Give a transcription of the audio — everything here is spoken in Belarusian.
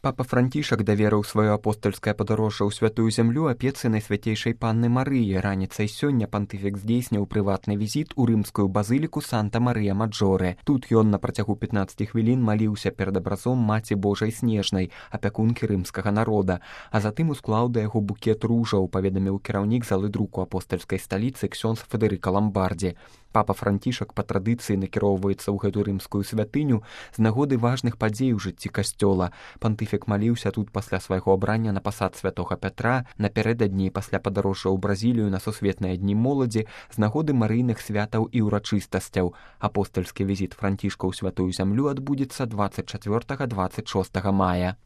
Папа Францішак даверыў сваё апостальскае падарожжа ў святую зямлю апецы Найсвяцейшай Панны Марыі. Раніцай сёння пантыфік здзейсніў прыватны візіт у рымскую базыліку Санта-Марыя-Маджоре. Тут ён на працягу 15 хвілін маліўся перад абразом Маці Божай Снежнай, апякункі рымскага народа, а затым усклаў да яго букет ружаў, паведаміў кіраўнік залы друку апостальскай сталіцы ксёндз Федэрыка Ламбардзі. Папа Францішак па традыцыі накіроўваецца ў гэту рымскую святыню з нагоды важных падзей у жыцці касцёла. Пантыфік маліўся тут пасля свайго абрання на пасад святога Пятра, напярэдадні пасля падарожжа ў Бразілію на сусветныя дні моладзі з нагоды марыйных святаў і ўрачыстасцяў. Апостальскі візіт Францішка ў святую зямлю адбудзецца 24-26 мая.